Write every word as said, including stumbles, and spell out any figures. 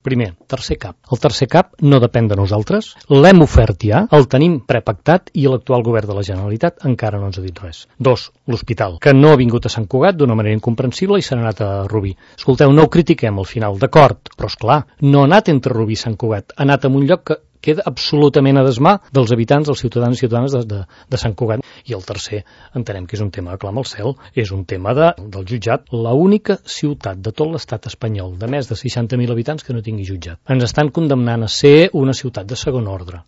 Primer, tercer cap. El tercer cap no depèn de nosaltres, l'hem ofert ja, el tenim prepactat i l'actual govern de la Generalitat encara no ens ha dit res. Dos, l'hospital, que no ha vingut a Sant Cugat d'una manera incomprensible i s'ha anat a Rubí. Escolteu, no ho critiquem al final, d'acord, però és clar, no ha anat entre Rubí i Sant Cugat, ha anat a un lloc que queda absolutament a desmà dels habitants, dels ciutadans i ciutadanes de, de, de Sant Cugat. I el tercer, entenem que és un tema que clama al cel, és un tema de, del jutjat. L'única ciutat de tot l'estat espanyol de més de seixanta mil habitants que no tingui jutjat. Ens estan condemnant a ser una ciutat de segon ordre.